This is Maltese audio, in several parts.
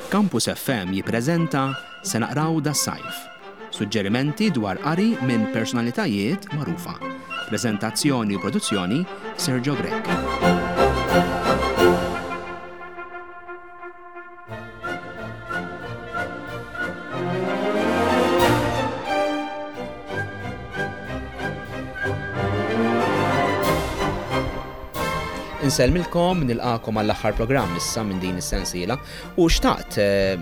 Campus FM jippreżenta Se naqraw das-sajf. Suġġerimenti dwar qari minn personalitajiet magħrufa. Preżentazzjoni u produzzjoni Sergio Grech. Insellmilkom, nilqakom għall-aħħar programm issa minn din is-sensiela u xtaqt eh,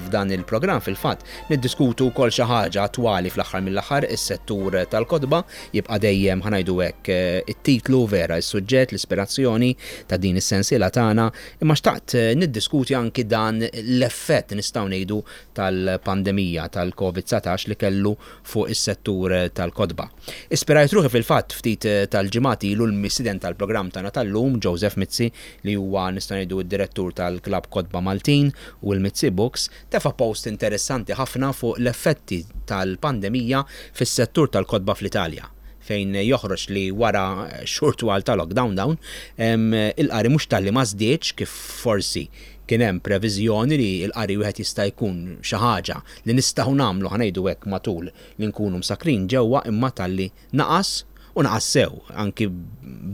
f'dan il-programm fil-fatt niddiskutu wkoll xi ħaġa attwali fl-aħħar mill-aħħar is-settur tal-kotba jibqa' dejjem ħanajdu hekk eh, it-titlu vera, is-suġġett, l-ispirazzjoni ta' din is-sensiela tagħna Imma xtaqt niddiskuti anki dan l-effett nistgħu ngħidu tal-pandemija tal-Covid 19 li kellu fuq is-settur tal-kotba. Ispirajt ruħi fil-fatt ftit tal-ġimgħat ilu l-mistieden tal-programm tagħna tal-lum, Joseph Mizzi, li huwa nistgħu ngħidu d-direttur tal-Klabb Kotba Maltin u l-Mizzi Books, tefa' post interessanti ħafna fuq l-effetti tal-pandemija fis-settur tal-kotba fl-Italja. fejn joħroġ li wara xhur twal ta' lockdown dawn, il-qari mhux talli ma żdiedx kif forsi kien hemm previżjoni li l-qari wieħed jista' jkun xi ħaġa li nistgħu nagħmlu ħa ngħidu hekk matul li nkunu msakkrin ġewwa imma talli naqas u naqas sew anki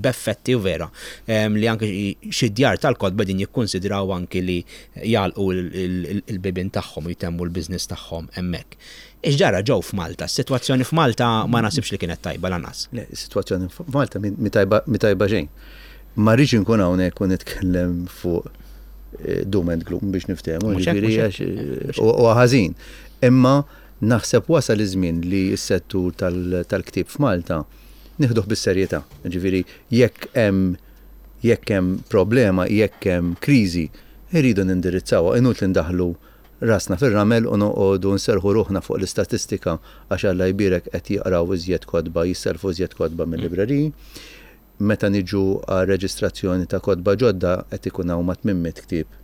b'effetti u vera li anki xi djar tal-kotba qegħdin jikkunsidraw anki li jagħlqu l-bibien tagħhom u jtemmu l-business tagħhom hemmhekk. X'ġara Joe f'Malta? Is-sitwazzjoni f'Malta ma naħsibx li kienet tajba lanqas. Le, is-sitwazzjoni f'Malta mhi tajba, mhi tajba xejn. Ma rridx inkun hawnhekk u nitkellem fuq eh, doom and gloom biex niftehmu, ġifieri għax eh, huwa ħażin. Imma naħseb wasal iż-żmien li s-settur tal-ktieb f'Malta nieħduh bis-serjetà. Ġifieri jekk hemm jekk hemm problema, jekk hemm kriżi, irridu nindirizzawha, inutli ndaħlu rasna fir-ramel u noqogħdu nserrħu ruħna fuq l-istatistika għax Alla jbierek qed jaqraw iżjed kotba, jissellfu iżjed kotba mil-libreriji. Meta niġu għar-reġistrazzjoni ta' kotba ġodda qed ikun hawn ma' 800 ktieb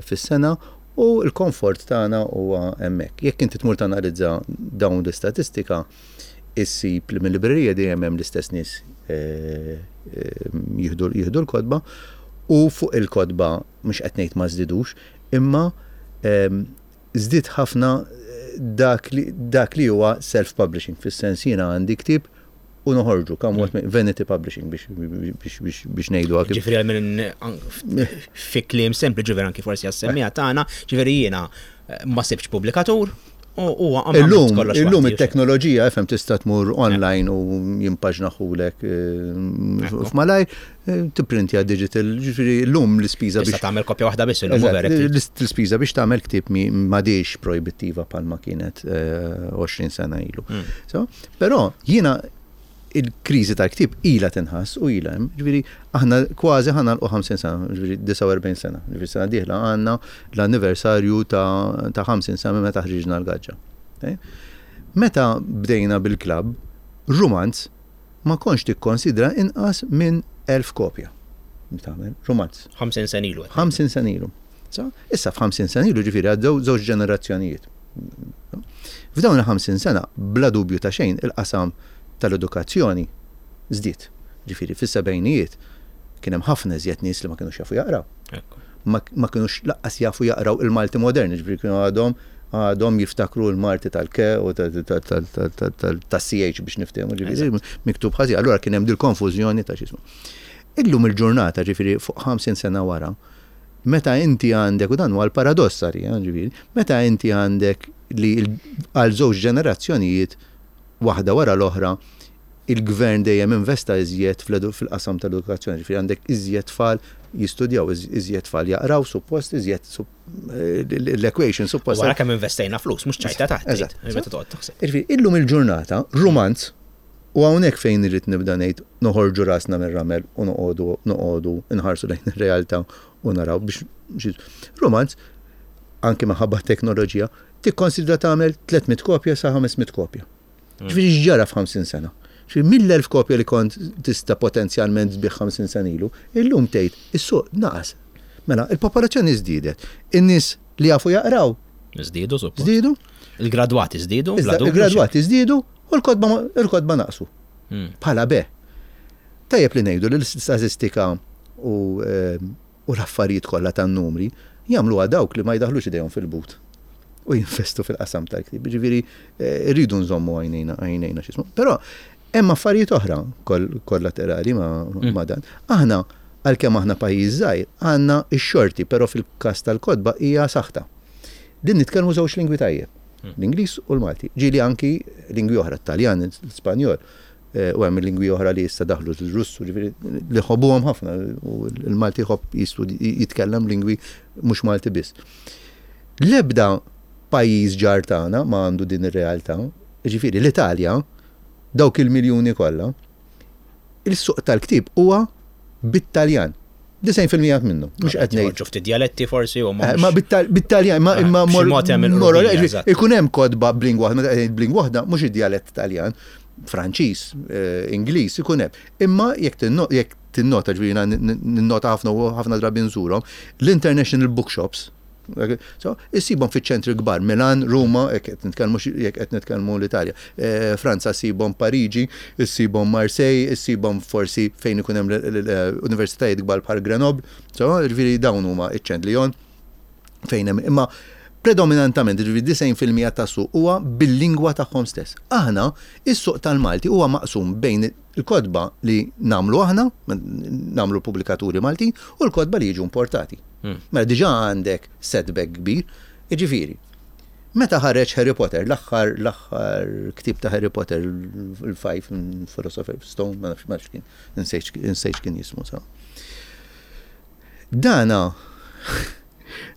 fis-sena u l-komfort tagħna huwa hemmhekk. Jekk inti tmur tanalizza dawn l-istatistika issib li mil-librerija dejjem hemm l-istess nies jieħdu l-kotba u fuq il-kotba mhux qed ngħid ma żdidux, imma żdied ħafna dak li dak li huwa self-publishing, fis-sens jiena għandi ktieb u noħorġu, come what may, vanity publishing biex biex biex biex ngħidu kif. Ġifieri għal minn fi kliem sempli ġifieri anki forsi għas-semmiegħa tagħna, ġifieri jiena eh, ma sibx pubblikatur, Illum, illum it-teknoloġija FM tista' tmur online u jimpaġnaħulek eh, f'malajr, eh, tipprintja digital, ġifieri llum l-ispiża biex. Tagħmel kopja waħda biss illum. L-ispiża biex tagħmel ktieb m'għadix projbittiva bħalma kienet 20 eh, sena ilu. Hmm. Però jiena il-kriżi tal-ktieb ilha tinħass u ilha hemm. Ġifieri aħna kważi ħa nagħlqu 50 sena, ġifieri 49 sena. Ġifieri sena dieħla għandna l-anniversarju ta' 50 sena minn meta ħriġna l-gaġġa. Meta bdejna bil-klabb, rumanz ma kontx tikkonsidra inqas minn 1000 kopja. Tagħmel rumanz. 50 sena ilu. 50 sena ilu. Issa f'50 sena ilu ġifieri għaddew żewġ ġenerazzjonijiet. F'dawn il-50 sena, bla dubju ta' xejn, il-qasam tal-edukazzjoni żdied. Ġifieri fis-sebgħinijiet kien hemm ħafna iżjed nies li ma kinux jafu jaqraw. Ma, ma kinux laqqas jafu jaqraw il-Malti modern, ġifieri kienu għadhom għadhom jiftakru l-Malti tal-K u tas-CH biex niftehmu, ġifieri miktub ħażin. Allura kien hemm dil-konfużjoni ta' x'ismu. Illum il-ġurnata, ġifieri fuq 50 sena wara, Meta inti għandek, u dan huwa l-paradoss għalija, ġifieri, meta inti għandek li għal żewġ ġenerazzjonijiet waħda wara l-oħra il-gvern dejjem investa iżjed fil-qasam tal-edukazzjoni, ġifieri għandek iżjed tfal jistudjaw, iżjed tfal jaqraw, suppost iżjed l-equation suppost. Wara kemm investejna flus, mhux ċajta taħt. Eżatt. Meta toqgħod taħseb. Ġifieri illum il-ġurnata rumanz U hawnhekk fejn irrid nibda ngħid noħorġu rasna mir-ramel u noqogħdu noqogħdu nħarsu lejn ir-realtà u naraw biex rumanz anki minħabba t-teknoloġija tikkonsidra tagħmel 300 kopja sa 500 kopja. Mm. Ġifieri x'ġara f'50 sena? Ġifieri mill-1000 kopja li kont tista' potenzjalment tbigħ 50 sena ilu, illum tgħid is-suq naqas. Mela, il-popolazzjoni żdiedet. In-nies li jafu jaqraw. Żdiedu, suppost. Żdiedu. Il-gradwati żdiedu. Il-gradwati żdiedu U l-kotba l-kotba naqsu. Hmm. Bħala be. Tajjeb li ngħidu li l-istatistika u u l-affarijiet kollha tan-numri jagħmluha dawk li ma jdaħħlux idejhom fil-but u jinvestu fil-qasam tal-ktieb. Jiġifieri rridu nżommu għajnejna għajnejna x'ismu. Però hemm affarijiet oħra kollaterali ma' dan. Aħna għalkemm aħna pajjiż żgħir, għandna x-xorti, però fil-każ tal-kotba hija saħta. Din nitkellmu żewġ lingwi tajjeb, l-Ingliż u l-Malti. Ġieli anki lingwi oħra, t-Taljan, l-Ispanjol. U hemm lingwi oħra li issa daħlu l-Russu, ġifieri li ħobbuhom ħafna u l-Malti jħobb jitkellem lingwi mhux Malti biss. L-ebda pajjiż ġar tagħna ma għandu din ir-realtà, ġifieri l-Italja, dawk il-miljuni kollha, il-suq tal-ktieb huwa bit-Taljan. 90% minnu. Mhux qed ngħid. Joħorġu ftit djaletti forsi u ma. Ma bit-Taljan, ma imma ikun hemm kotba b'lingwa waħda, meta qed ngħid b'lingwa waħda mhux id-djalett Taljan, Franċiż, Ingliż ikun hemm. Imma jekk jekk tinnota ġifieri ninnota ħafna u ħafna drabi nżurhom, l-international bookshops, so, issibhom fiċ-ċentri kbar, Milan, Ruma, jekk qed nitkellmu jekk qed nitkellmu l-Italja. Franza ssibhom Pariġi, issibhom Marseille, issibhom forsi fejn ikun hemm universitajiet kbar bħal Grenoble, so, ġifieri dawn huma iċ-ċent Lyon fejn hemm imma predominantament, ġifieri 90% tas-suq huwa bil-lingwa tagħhom stess. Aħna, is-suq tal-Malti huwa maqsum bejn il-kotba li nagħmlu aħna, nagħmlu l-pubblikaturi Maltin, u l-kotba li jiġu importati. Mela diġà għandek setback kbir, jiġifieri, meta ħareġ Harry Potter, l-aħħar l-aħħar ktieb ta' Harry Potter, il-Five Philosopher's Stone, ma nafx ma nafx kien, insejt x'kien jismu sa. Dana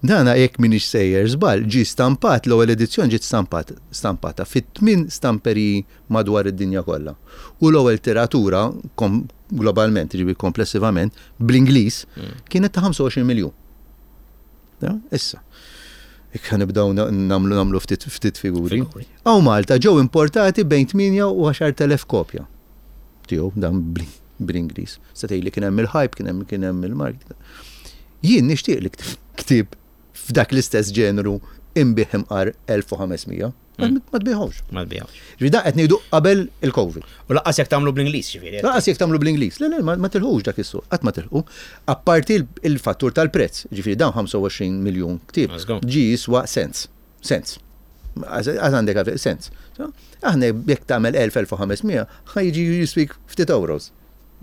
Dana jekk m'iniex sejjer żball, ġie stampat, l-ewwel edizzjoni ġiet stampat, stampata fi tmien stamperiji madwar id-dinja kollha. U l-ewwel tiratura kom, globalment, jiġifieri komplessivament, bl-Ingliż, kienet ta' 25 miljun. Ja, issa. Jekk ħa nibdew nagħmlu nagħmlu ftit ftit figuri. Hawn Malta ġew importati bejn 8 u 10,000 kopja tiegħu dan bl-Ingliż. Se tgħidli kien hemm il-hype, kien hemm kien hemm il-marketing. Jien nixtieq li ktieb f'dak l-istess ġeneru inbigħ imqar 1500. Ma tbigħhomx. Ma tbigħhomx. Ġifieri dan qed ngħidu qabel il-Covid. U laqqas jekk tagħmlu bl-Ingliż, ġifieri. Laqqas jekk tagħmlu bl-Ingliż. Le, le, ma tilħux dak is-suq, qatt ma tilħu. Apparti il-fattur tal-prezz, ġifieri dawn 25 miljun ktieb ġie jiswa cents. Cents. Għax għandek għalfejn, cents. Aħna jekk tagħmel 1000, 1500, ħa jiġi jiswik ftit euros.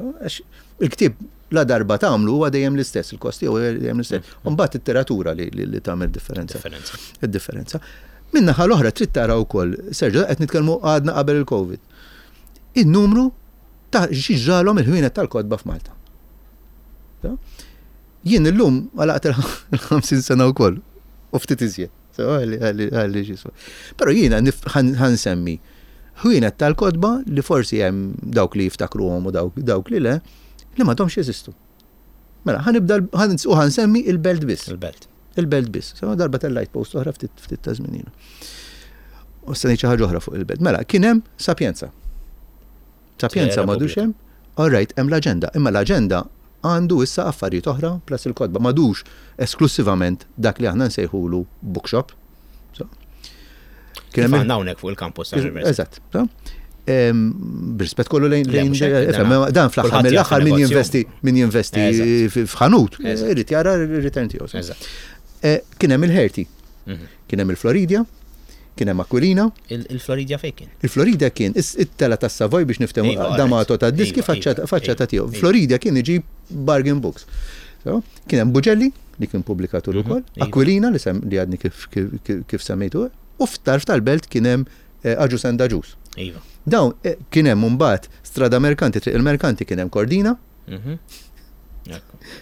Għax il-ktieb la darba tagħmlu huwa dejjem l-istess, il-kost tiegħu dejjem l-istess. U mbagħad it-tiratura li, li, li tagħmel differenza. Id-differenza. Min-naħa l-oħra trid tara wkoll, Sergio, qed nitkellmu għadna qabel il-Covid. In-numru ta' xi ġralhom il-ħwienet tal-kotba f'Malta. Jien illum għalaqt il-50 sena wkoll u ftit iżjed. Għalli xiswa. Però jiena ħansemmi ħwienet tal-kotba li forsi hemm dawk li jiftakruhom u dawk li le, li m'għadhomx jeżistu. Mela, ħanibda u ħansemmi il-belt biss. Il-belt. Il-belt biss. Sema darba tellajt post oħra ftit ftit ta' żmien ilu. U se ngħid xi ħaġa oħra fuq il-belt. Mela, kien hemm Sapienza. Sapienza m'għadux hemm. All right, hemm l-aġenda, imma l-aġenda għandu issa affarijiet oħra plus il-kotba, m'għadux esklussivament dak li aħna nsejħulu bookshop. So, kien hemm għandna hawnhekk fuq il-campus tal-università. Eżatt. B'rispett kollu lejn dan fl-aħħar mill-aħħar min jinvesti min jinvesti f'ħanut, irid jara r-return tiegħu. Eh, kien hemm il-Herti, mhm. kien hemm il-Floridia, Kien hemm Aquilina. Il-Floridia fejn kien? Il-Floridia kien it-tela tas-Savoy biex niftehmu iva, D'Amato ta' diski iva, iva, faċċata tiegħu. Floridia kien iġib bargain books. Kien hemm Bugelli li kien pubblikatur mhm, ukoll, Aquilina li li għadni kif semmejtu, u f'tarf tal-belt kien hemm eh, Agius and Agius. Iva. Dawn eh, kien hemm imbagħad Strada Merkanti, Triq il-Merkanti kien hemm Cordina. Mhm.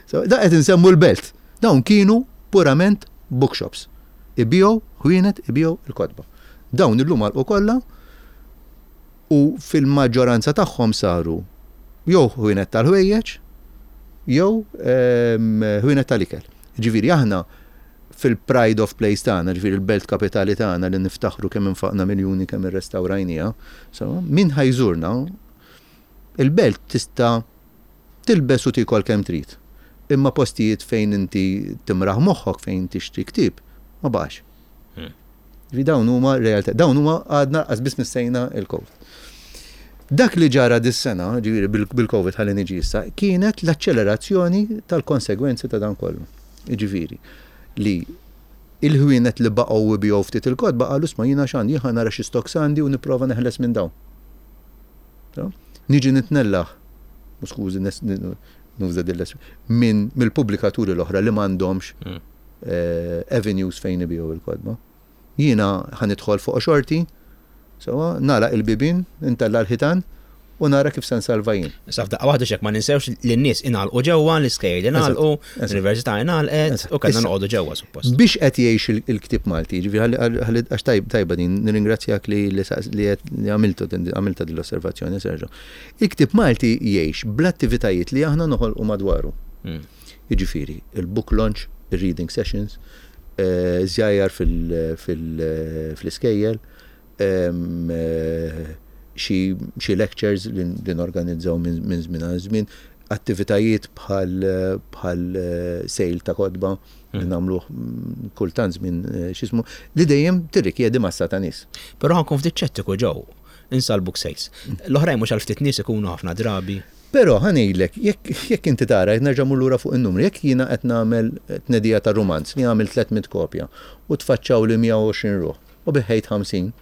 So, da qed insemmu l-belt. Dawn kienu purament bookshops. Ibigħu ħwienet, ibigħu l-kotba. Dawn illum għalqu kollha u fil-maġġoranza tagħhom saru jew ħwienet tal-ħwejjeġ jew ehm, ħwienet tal-ikel. Ġifieri aħna fil-pride of place tagħna, ġifieri l-belt kapitali tagħna li niftaħru kemm infaqna miljuni kemm irrestawrajniha, so, min ħajżurna il-belt tista' Tilbes u tiekol kemm trid. Imma postijiet fejn inti timraħ moħħok fejn tixtri ktieb ma baqax. Ġifieri dawn huma realtà, dawn huma għadna qas biss missejna il-Covid. Dak li ġara dis-sena, ġifieri bil-Covid ħalli niġi issa, kienet l-aċċelerazzjoni tal-konsegwenzi ta' dan kollu. Jiġifieri li il-ħwienet li baqgħu jbigħu ftit il-kotba qalu isma' jiena x'għandi, jien ħa nara xi stocks għandi u nipprova neħles minn dawn. Niġi nitnellaħ, u skużi nuża din minn mill-pubblikaturi l-oħra li m'għandhomx hmm. eh, avenues fejn ibigħu il-kotba. Jiena ħa nidħol fuq xorti, sewwa, nagħlaq il-bibien, intella' l-ħitan u nara kif se nsalva jien. Issa f'daqqa waħda x'hekk ma ninsewx li n-nies ingħalqu ġewwa, l-iskejjel ingħalqu, l-università ingħalqet u kellna noqogħdu ġewwa suppost. Biex qed jgħix il-ktieb Malti, jiġifieri ħalli għax tajba din, nirringrazzjak li li għamiltu għamiltha din l-osservazzjoni Sergio. Il-ktieb Malti jgħix bl-attivitajiet li aħna noħolqu madwaru. Hmm. Jiġifieri, il-book launch, il-reading sessions, żjajjar fl-iskejjel, xi lectures li norganizzaw minn żmien għal żmien, attivitajiet bħal sale ta' kotba li hmm. nagħmluh kultant żmien x'ismu, li dejjem tirrikjedi massa ta' nies. Però ħankun ftit ċettiku ġew, insa l-book sales. L-oħrajn mhux għal ftit nies ikunu ħafna drabi. Però ħa ngħidlek, jekk jekk inti tara, qed nerġa' mmur lura fuq in-numri, jekk jiena qed nagħmel tnedija ta' rumanz li għamilt 300 kopja u tfaċċawli 120 ruħ u biħħejt 50.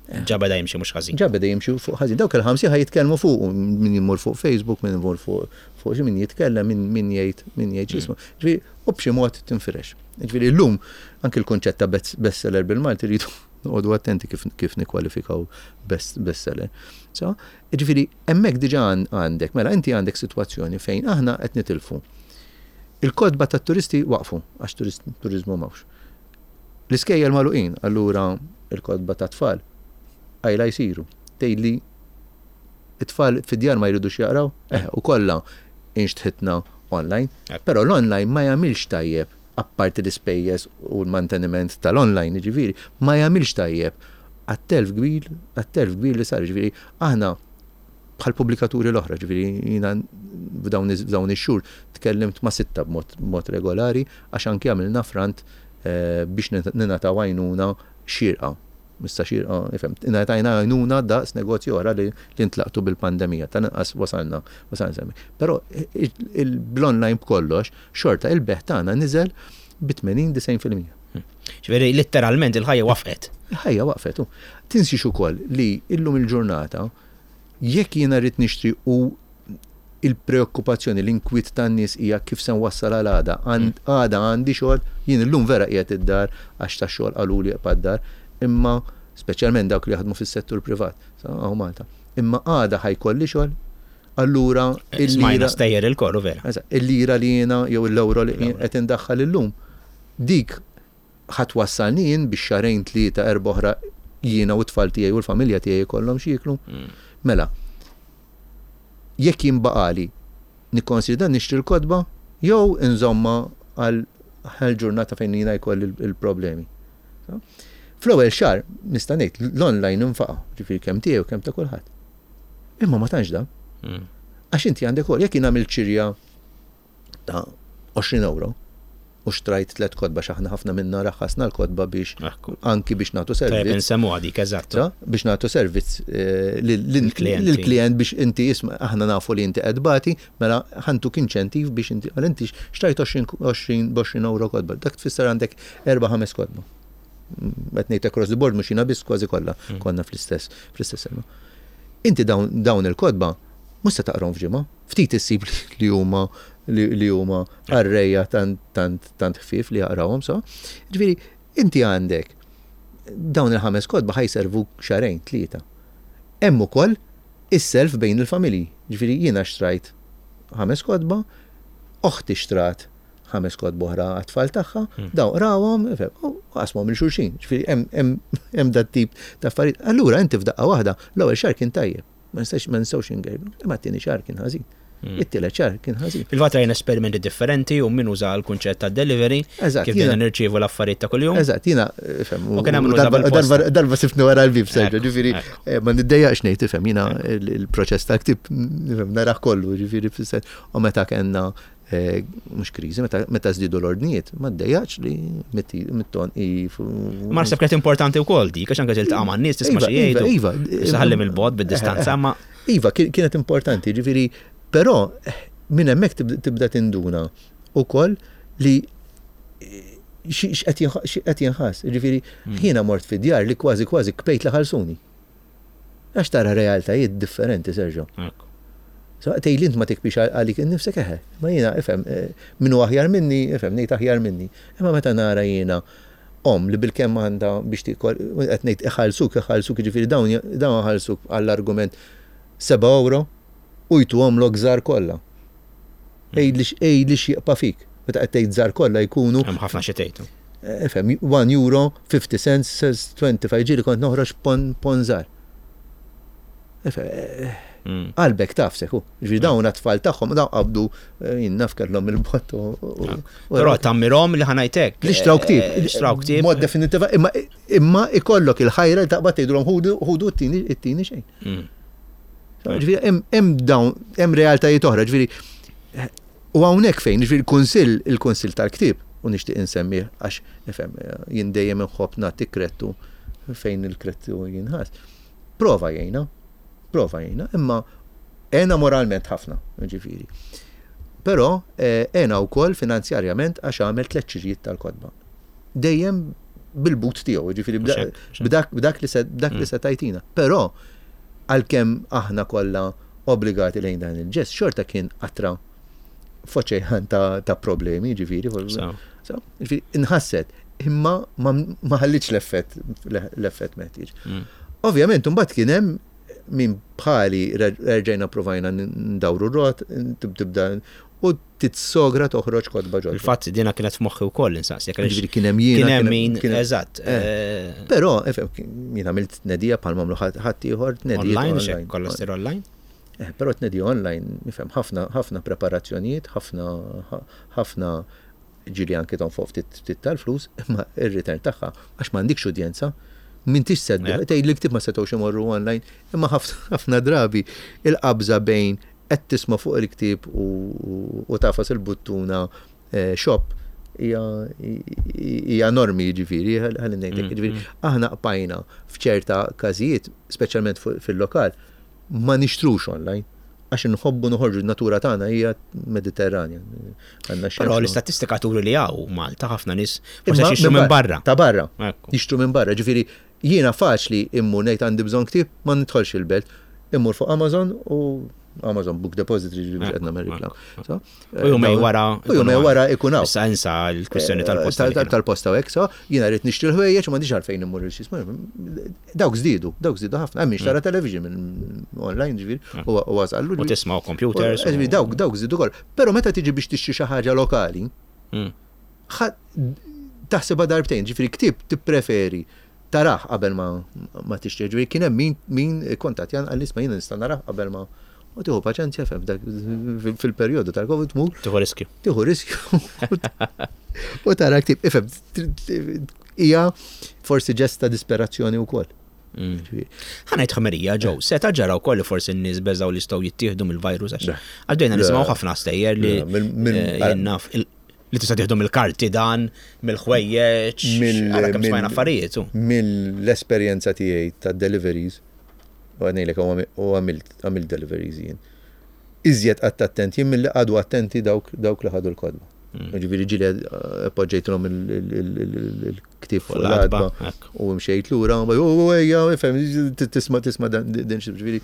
Ġa beda jimxi mhux ħażin. Ġa beda jimxi fuq ħażin. Dawk il-50 ħa jitkellmu fuqu, min jmur fuq Facebook, min imur fuq fuq xi min jitkellem, min min jgħid min jgħid x'ismu. Ġifieri u b'xi mod tinfirex. Ġifieri llum anke l-kunċett ta' bestseller bil-Malti rridu noqogħdu attenti kif kif nikkwalifikaw best bestseller. So, Jiġifieri hemmhekk diġà għandek, mela inti għandek sitwazzjoni fejn aħna qed nitilfu. Il-kotba tat-turisti waqfu għax turiżmu m'hawnx. L-iskejjel magħluqin, allura il-kotba tat-tfal qajla jsiru. Tgħidli it-tfal fid-djar ma jridux jaqraw? Eh, u kollha inxtħitna online. Però l-online ma jagħmilx tajjeb apparti l-ispejjeż u l-manteniment tal-online, jiġifieri, ma jagħmilx tajjeb għat-telf kbir, għat-telf kbir li sar, jiġifieri aħna bħal pubblikaturi l-oħra, ġifieri jiena f'dawn ix-xhur tkellimt ma' sitta b'mod regolari għax anki għamilna front eh, biex ningħataw għajnuna xierqa. Issa xierqa, ifhem, ingħatajna għajnuna daqs negozji oħra li ntlaqtu bil-pandemija, tal-inqas wasalna, wasalna semmi. Però bl-online b'kollox, xorta il-bejgħ tagħna niżel bi 80-90%. Ġifieri litteralment il-ħajja waqfet. Il-ħajja waqfet. Tinsiex ukoll li illum il-ġurnata jekk jiena rrid nixtri u il-preokkupazzjoni, l-inkwiet tan-nies hija kif se nwassal għal għada. Mm. Għada għandi xogħol, jien illum vera qiegħed id-dar għax ta' xogħol qaluli eqpa' d-dar, imma speċjalment dawk li jaħdmu fis-settur privat, hawn Malta. Imma għada ħajkolli xogħol, allura il-lira. Stejjer il-korru vera. Il-lira li jiena jew l-ewro li qed indaħħal illum, dik ħa twassalni jien biex xahrejn, tlieta, erbgħa oħra jiena u t-tfal tiegħi u l-familja tiegħi jkollhom x'jieklu. Mm. Mela, jekk jien baqali nikkonsidra nixtri l-kotba jew inżomma għal ġurnata fejn jiena jkolli il-problemi. Fl-ewwel xahar nista' ngħid l-online infaqa', ġifieri kemm tiegħi u kemm ta' kulħadd. Imma ma tantx dan. Mm. Għax inti għandek ukoll jekk jien għamilt xirja ta' 20 euro u xtrajt tlet kotba x'aħna ħafna minna raħħasna l-kotba biex anki biex nagħtu servizz. Tajjeb insemmu dik eżatt. Biex nagħtu servizz eh, lill-klient biex inti isma' aħna nafu li inti qed bati, mela ħantuk inċentiv biex inti għal inti xtrajt 20 euro kotba. Dak tfisser għandek erba' ħames kotba. Qed ngħid across the board mhux jiena biss kważi kollha mm. konna fl-istess fl-istess sena. Inti dawn il-kotba mhux se taqrahom f'ġimgħa, ftit issib li huma li huma qarrejja tant tant tant ħfief li jaqrawhom so. Ġifieri inti għandek dawn il-ħames kotba ħa jservuk xahrejn, tlieta. Hemm ukoll is-self bejn il-familji. Ġifieri jiena xtrajt ħames kotba, oħti xtrat ħames kotba oħra għat-tfal tagħha, hmm. dawn qrawhom, u qasmuhom lil xulxin. Ġifieri hemm dat tip ta' affarijiet. Allura inti f'daqqa waħda l-ewwel xahar kien tajjeb. Ma nistax ma nistgħux ingergru. Imma t-tieni xahar kien ħażin. Hmm. It-tielet xahar kien ħażin. Fil-fatt rajna esperimenti differenti u min uża l-kunċett ta' delivery kif bdejna nirċievu l-affarijiet ta' kuljum. Eżatt, jiena ifhem. U kien hemm darba sifni wara l-bib Sergio, ġifieri eh, ma niddejjaqx ngħid ifhem jiena il-proċess ta' ktib nifhem naraħ kollu, ġifieri u meta kellna mhux kriżi, meta żdiedu l-ordnijiet, ma ddejjaqx li mit-ton i. Ma naħseb kienet importanti wkoll dik, għax anke tiltaqa' man-nies tisma' xi iva, jgħidu. Iva, iva. Ħalli mill-bogħod bid-distanza ma. Iva, kienet importanti, ġifieri, però minn hemmhekk tibda tinduna ukoll li x'qed jinħass. Ġifieri, jiena mort fi djar li kważi kważi kpejt li ħalsuni. Għax tara realtajiet differenti, Sergio. So, tgħid li int ma tikbix għalik innifsek eħe. Ma jiena, ifhem, eh, min hu aħjar minni, ifhem, ngħid aħjar minni. Imma meta nara jiena om li bil-kemm għandha biex tikol, qed ngħid iħallsuk, iħallsuk, jiġifieri dawn dawn iħallsuk għall-argument 7 euro u jtuhomlok żgħar kollha. Għidli x'jibqa' fik. Meta qed tgħid żgħar kollha jkunu. Hemm ħafna xi tgħid. Ifhem, 1 euro, 50 cents, 25 ġieli kont noħroġ pon pon żgħar. Qalbek tafsek, u. Ġifieri dawn għat-tfal tagħhom dawn qabdu jien naf kellhom il-bott u. Però tammirhom li ħanajtek. Li xtraw ktieb. Xtraw ktieb. Mod definitiva, imma imma ikollok il-ħajra li taqbad tgħidulhom ħudu ħudu t-tieni xejn. Ġifieri hemm dawn hemm realtajiet oħra, ġifieri u hawnhekk fejn, ġifieri il-kunsill il-kunsill tal-ktieb u nixtieq insemmih għax nifhem jien dejjem inħobb nagħti krettu fejn il-krettu jinħass. Prova jgħinna, prova jgħinna, imma għena moralment ħafna, ġifieri. Però għena wkoll finanzjarjament għax għamel tlett xirijiet tal-kotba. Dejjem bil-but tiegħu, ġifieri b'dak li se b'dak li se tajtina. Però għalkemm aħna kollha obbligati lejn dan il-ġest, xorta kien qatra f'oċean ta' problemi, ġifieri. Ġifieri inħasset, imma ma ħallitx l-effett l-effett meħtieġ. Ovvjament, imbagħad kien hemm min bħali erġajna provajna ndawru r-rot, tibda u titsogra toħroġ kotba ġodda. Il-fatt dina kienet f'moħħi wkoll insaqsi. Ġifieri kien hemm jiena. Kien hemm min, eżatt. Però, jien għamilt tnedija bħal m'għamlu ħadd ieħor tnedija. Online, kollha ssir online? Però tnedija online, nifhem, ħafna ħafna preparazzjonijiet, ħafna ħafna ġieli anke tonfoq ftit ftit tal-flus, imma ir-return tagħha għax m'għandikx udjenza, m'intix se tgħid li ktieb ma setgħux imorru online, imma ħafna drabi il-qabża bejn qed tisma' fuq il-ktieb u tagħfas il-buttuna shop hija enormi jiġifieri, ħalli ngħidlek. Jiġifieri aħna qbajna f'ċerta każijiet, speċjalment fil-lokal, ma nixtrux online għax inħobbu noħorġu n-natura tagħna hija Mediterranja. Però l-istatistika turi li hawn Malta ħafna nies forsi jixtru minn barra. Ta' barra. Jixtru minn barra, ġifieri Jiena faċli immur ngħid għandi bżonn ktieb, ma nidħolx il-belt. Immur fuq Amazon u Amazon Book Depository ġifieri mhux qed nagħmel reklam. U jumej wara. U jumej wara ikun hawn. Issa insa l-kwistjoni tal-posta. Tal-posta u hekk, so jiena rrid nixtri l-ħwejjeġ u m'għandix għalfejn immur il-xi. Dawk żdiedu, dawk żdiedu ħafna. Hemm min xtara television minn online ġifieri u wasallu. U tisma' computers. Ġifieri dawk dawk żdiedu koll. Però meta tiġi biex tixtri xi ħaġa lokali, taħsibha darbtejn, ġifieri ktieb tippreferi tarah qabel ma ma tixtrih, ġifieri kien hemm min min ikkontattjan qalli isma' jiena nista' narah qabel ma u tieħu paċenzja fem fil-perjodu tal-Covid tmur. Tieħu riskju. Tieħu riskju. U tara ktieb, ifhem, hija forsi ġest ta' disperazzjoni wkoll. Ħa ngħid ħmerija ġew, seta' ġara wkoll li forsi n-nies beżgħu li jistgħu jittieħdu mill-virus għax għaddejna nisimgħu ħafna stejjer li naf li tista' tieħdu mill-karti dan, mill-ħwejjeġ, ara kemm smajna affarijiet. Mill-esperjenza tiegħi ta' deliveries, u ngħidlek u għamilt deliveries jien. Iżjed qatt attent jien milli qagħdu attenti dawk li ħadu l-kotba. Ġifieri ġieli poġġejtilhom il-ktieb fuq l-għatba u mxejt lura, u ejja, ifhem, tisma' tisma' din xi ġifieri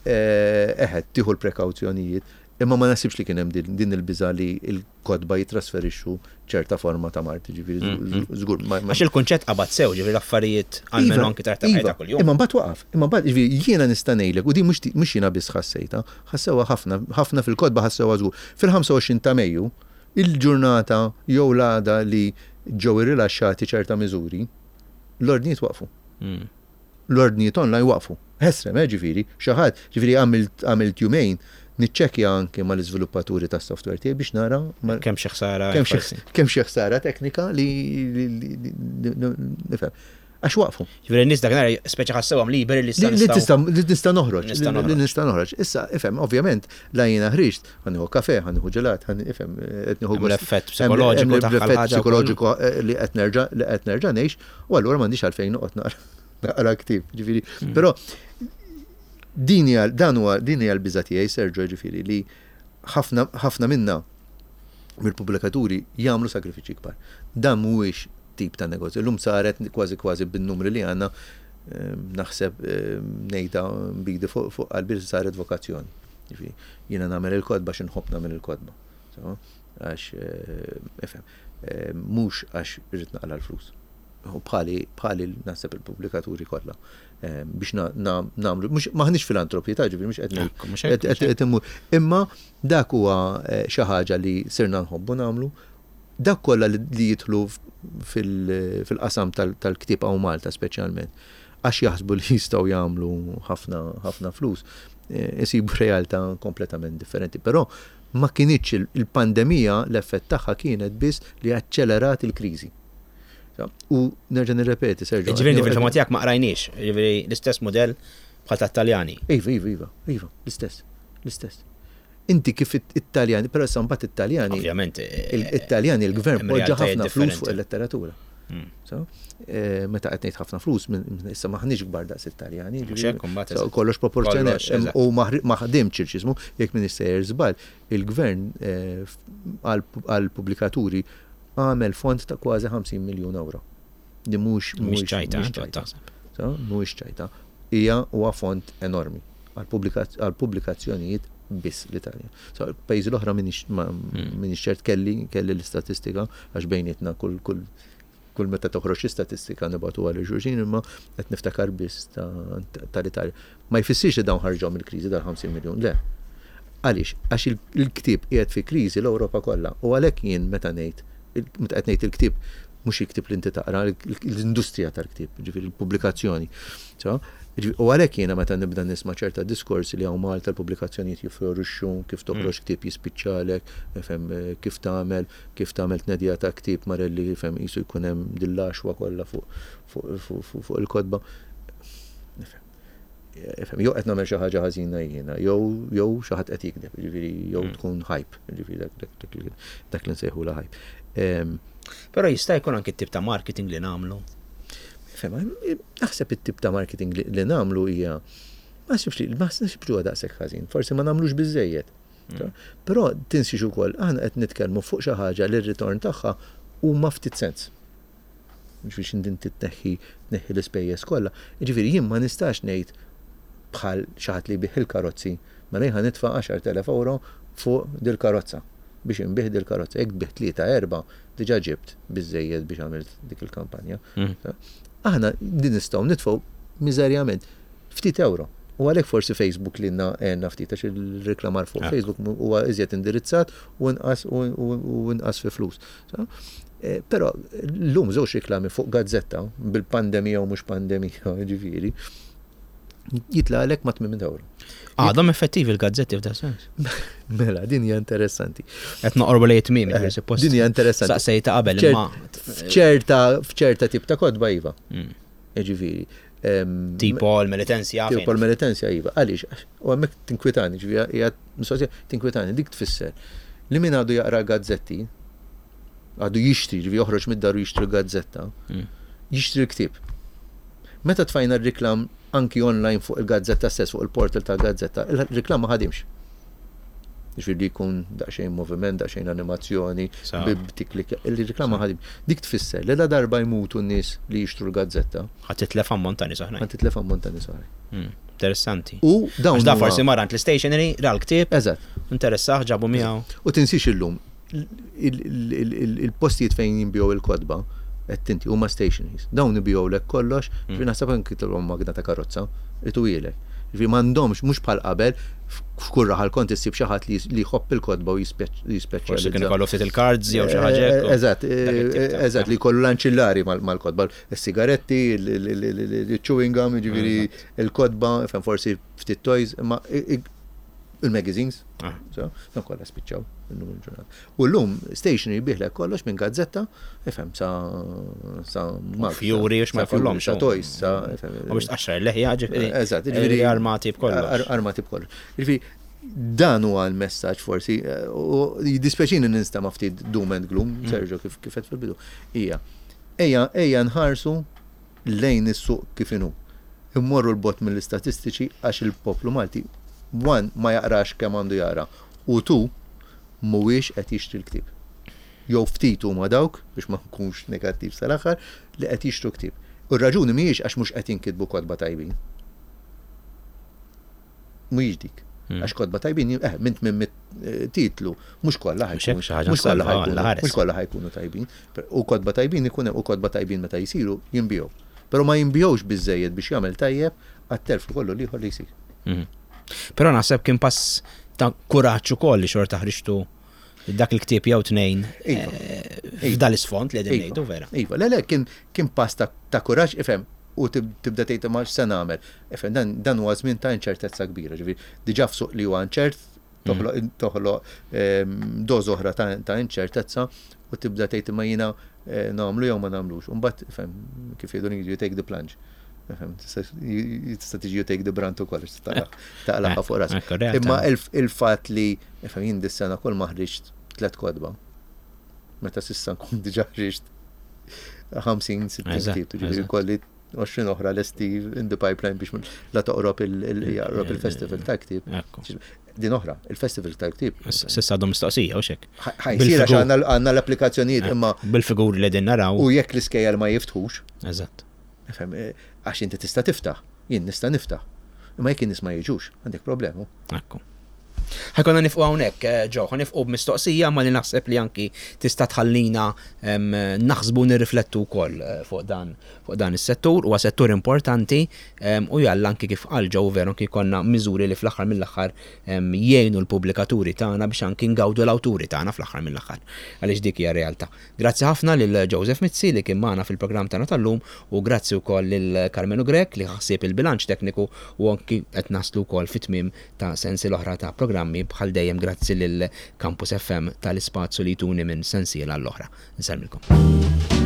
eħe, tieħu l-prekawzjonijiet, imma ma naħsibx li kien hemm din il-biża' li l-kotba jitrasferixxu ċerta forma ta' mard, ġifieri żgur. Għax il-kunċett qabad sew, ġifieri l-affarijiet għalmenu anki ta' iva, kuljum. Imma mbagħad waqaf, imma mbagħad ġifieri jiena nista' ngħidlek u din mhux jiena biss ħassejtha, ħassewha ħafna, ħafna fil-kotba ħassewha żgur. Fil-25 ta' Mejju, il-ġurnata jew l-għada li ġew irrilaxxati ċerta miżuri, l-ordnijiet waqfu. L-ordnijiet online waqfu. Ħesrem, ġifieri, xi ħadd, ġifieri għamilt għamilt jumejn niċċekkja anki mal-iżviluppaturi tas-software tiegħi biex nara kemm xi ħsara kemm xi ħsara teknika li nifhem. Għax waqfu. Ġifieri n-nies dakinhar speċi ħassewhom liberi li issa Li nista' noħroġ. Li nista' noħroġ. Issa, ifhem, ovvjament, la jiena ħriġt, ħa nieħu kafè, ħa nieħu ġelat, ħa ifhem, qed nieħu L-effett psikoloġiku L-effett psikoloġiku eh, li qed nerġa' li qed nerġa' ngħix, u allura m'għandix għalfejn noqgħod naqra naqra ktieb, ġifieri. Mm. Però din hija dan huwa din hija l-biża' tiegħi Sergio ġifieri li ħafna ħafna minna mill-pubblikaturi jagħmlu sagrifiċċji kbar. Dan mhuwiex tip ta' negozju. Illum saret kważi kważi bin-numri li għandna ehm, naħseb ehm, ngħidha bidi fuq qalbi saret vokazzjoni. Jiena nagħmel il-kotba xi nħobb nagħmel il-kotba. Għax eh, ifhem, eh, mhux għax irrid naqla l-flus. U bħali bħali naħseb il-pubblikaturi kollha eh, biex nagħmlu mhux maħniex filantropi ta' ġifieri mhux qed ngħid imma dak huwa xi ħaġa li sirna nħobbu nagħmlu Dawk kollha li jidħlu fil-qasam tal-ktieb hawn Malta speċjalment, għax jaħsbu li jistgħu jagħmlu ħafna ħafna flus, eh, isibu realtà kompletament differenti. Però ma kinitx il-pandemija l-effett tagħha kienet biss li aċċelerat il-kriżi. U nerġa' nirrepeti, Sergio. Ġifieri fil-fema tiegħek ma qrajniex, ġifieri l-istess mudell bħal tat-Taljani. Iva, iva, iva, iva, l-istess, l-istess. Inti kif it-Taljani, però issa mbagħad it-Taljani. Ovvjament. Eh, it-Taljani il-gvern poġġa ħafna flus fuq il-letteratura. Hmm. Eh, meta qed ngħid ħafna flus, issa maħniex kbar daqs it-Taljani. Kollox proporzjonat. U ma ħdimx il-ċismu, jekk min sejjer żball, il-gvern eh, għal-pubblikaturi għamel fond ta' kważi 50 miljun euro. Li mhux mhux ċajta, mhuwiex ċajta. Hija huwa fond enormi għall-pubblikazzjonijiet biss l-Italja. So, pajjiżi l-oħra minix hmm. ċert kelli kelli l-istatistika għax bejnietna kull kull kull meta toħroġ statistika nibgħatu għal xulxin imma qed niftakar biss tal-Italja. Ma jfissirx li dawn ħarġhom il-kriżi dal-50 miljun, le. Għaliex? Għax il-ktieb qiegħed fi kriżi l-Ewropa kollha u għalhekk jien meta ngħid meta qed ngħid il-ktieb mhux il-ktieb li inti taqra, l-industrija tal-ktieb, ġifieri l-pubblikazzjoni. U għalhekk jiena meta nibda nisma' ċerta diskorsi li hawn Malta l-pubblikazzjonijiet jifflorixxu, kif toħroġ mm. ktieb jispiċċalek, fem, eh, kif tagħmel, kif tagħmel tnedija ta' ktieb marelli fem qisu jkun hemm dill-għaxwa kollha fuq il-kotba. Ifhem, jew qed nagħmel xi ħaġa ħażina jiena, jew jew xi ħadd qed jikdeb, jiġifieri jew mm. tkun hype, jiġifieri dak li nsejħula hype. Però jista' jkun anki t-tip ta' marketing li nagħmlu. Ifhem, naħseb it-tip ta' marketing li nagħmlu hija ma naħsibx li ma naħsibx li huwa daqshekk ħażin, forsi ma nagħmlux biżejjed. Mm. Però tinsiex ukoll aħna qed nitkellmu fuq xi ħaġa li r-ritorn tagħha huma ftit sens. Ġifieri x'inti inti tneħħi tneħħi l-ispejjeż kollha. Jiġifieri jien ma nistax ngħid bħal xi ħadd li jbigħ il-karozzi, mela jien ħa nitfa' 10,000 ewro fuq dil-karozza biex inbigħ dil-karozza. Jekk tbigħ tlieta erba' diġà ġibt biżżejjed biex għamilt dik il-kampanja. Mm. Aħna din nistgħu nitfgħu miżerjament ftit ewro. U għalhekk forsi Facebook lilna għenna ftit għax il-reklamar fuq ah. Facebook huwa iżjed indirizzat u inqas u inqas fi flus. Eh, però llum żewġ riklami fuq gazzetta bil-pandemija u mhux pandemija, ġifieri, jitlaqlek ma' 800 euro. Għadhom effettivi l-gazzetti f'da sens. Mela, din hija interessanti. Qed noqorbu lejn tmiem, eh, suppost. Din hija interessanti. Saqsejta qabel imma. F'ċerta f'ċerta tip ta' kotba iva. Mm. Ġifieri. Tipo l-Melitensja. Tipo l-Melitensja iva. Għaliex, u hemmhekk tinkwitani, ġifieri hija mistoqsija tinkwitani, dik tfisser li min għadu jaqra gazzetti, għadu jixtri, ġifieri joħroġ mid-dar u jixtri gazzetta, mm. jixtri l-ktieb. Meta tfajna r-riklam anki online fuq il-gazzetta stess, fuq il-portal tal-gazzetta, il-riklam ma ħadimx. Ġifieri li jkun daqsxejn moviment, daqsxejn animazzjoni, b'tiklik, il-riklama ħadim. Dik tfisser li la darba jmutu n-nies li jixtru l-gazzetta. Ħa titlef ammont ta' nies oħrajn. Ħa titlef ammont ta' nies oħrajn. Hmm, interessanti. U dawn. Da forsi mar għand l-stationery, ra l-ktieb. Eżatt. Interessah, ġabu miegħu. U tinsiex illum, il-postijiet fejn jinbiegħu il-kotba, qed inti huma stationaries. Dawn ibigħulek kollox, hmm. ġifieri naħseb anki tilhom magna ta' karozza, ituhielek. Ġifieri m'għandhomx mhux bħal qabel f'kull raħal kont issib xi ħadd li jħobb il-kotba u jispeċjalizza. Forsi kien ikollu ftit il-cards jew xi ħaġa. Eh, eżatt, eh, eżatt li jkollu l-anċillari mal-kotba, is-sigaretti, il-chewing gum, ġifieri il-kotba, forsi ftit toys, imma Il-magazines, ah. so, dan kollha spiċċaw illum il-ġurnata. U llum stationery biħlek kollox minn gazzetta, ifhem sa sa Fjuri u ma jkollhomx. Sa toys, sa U biex tqaxxar il-leħja ġifieri. Eżatt, ġifieri armati b'kollox. Armati b'kollox. Ġifieri dan huwa l-messaġġ forsi, u jiddispjaċini ninstema' ftit doom and gloom, mm. Sergio kif kif fil-bidu. Ija, ejja ejja nħarsu lejn is-suq kif inhu. Immorru 'l bogħod mill-istatistiċi għax il-poplu Malti one ma jaqrax kemm għandu jaqra u two mhuwiex qed jixtri l-ktieb. Jew ftit huma dawk, biex ma nkunx negattiv sal-aħħar, li qed jixtru ktieb. U r-raġuni mhijiex għax mhux qed jinkitbu kotba tajbin. Mhijiex dik. Hmm. Għax kotba tajbin, eh, minn 800 eh, titlu, mhux kollha ħajkunu. Mhux kollha ħajkunu, mhux kollha ħajkunu tajbin. U kotba tajbin ikun u kotba tajbin meta jsiru jinbiegħu. Però ma jinbiegħux biżejjed biex jagħmel tajjeb għat-telf kollu l-ieħor li jsir. Mhm. Però naħseb kien pass ta' kuraġġ ukoll li xorta ħriġtu dak il-ktieb jew tnejn iva. eh, f'dal isfond li qegħdin iva. ngħidu vera. Iva, le le kien kien pass ta' kuraġġ ifhem u tibda tgħid ma x'se nagħmel. Ifhem dan dan huwa żmien ta' inċertezza kbira, ġifieri diġà f'suq li huwa inċert toħloq mm. toħloq ehm, doż oħra ta' inċertezza u tibda tgħid imma jiena eh, nagħmlu jew ma nagħmlux. Imbagħad ifhem kif jgħidu you take the plunge. Tista' tiġi you take the brunt ukoll taqlaħ fuq ras. Imma il-fatt li ifhem jien dis-sena kull ma ħriġt tliet kotba. Meta s'issa nkun diġà ħriġt 50, 60 ktieb, ġifieri kolli 20 oħra lesti in the pipeline biex la toqrob il-festival ta' ktieb. Din oħra, il-festival ta' ktieb. S'issa għadhom mistoqsija u xek. Ħajsir għax għandna l-applikazzjonijiet imma. Bil-figuri li din naraw. U jekk l-iskejjel ma jiftħux. Eżatt. Eh, għax inti tista' tiftaħ, jien nista' niftaħ. Imma jekk in-nies ma jiġux, għandek problema. Ekku. Ħajkonna nifqu hawnhekk, eh, Ġo, ħanifqu b'mistoqsija ma li naħseb li anki tista' tħallina naħsbu nirriflettu wkoll eh, fuq dan fuq dan is-settur, huwa settur importanti u jalla anki kif qal Joe veru anki jkollna miżuri li fl-aħħar mill-aħħar jgħinu l-pubblikaturi tagħna biex anki ngawdu l-awturi tagħna fl-aħħar mill-aħħar. Għaliex dik hija realtà. Grazzi ħafna lil Joseph Mizzi li kien magħna fil-programm tagħna tal-lum u grazzi wkoll lil Karmenu Grech li ħa ħsieb il-bilanċ tekniku u anki qed naslu wkoll fit-tmiem ta' sensiela oħra ta' programmi bħal dejjem grazzi lil Campus FM tal-ispazju li jtuni minn sensiela għall-oħra. Nsellmilkom.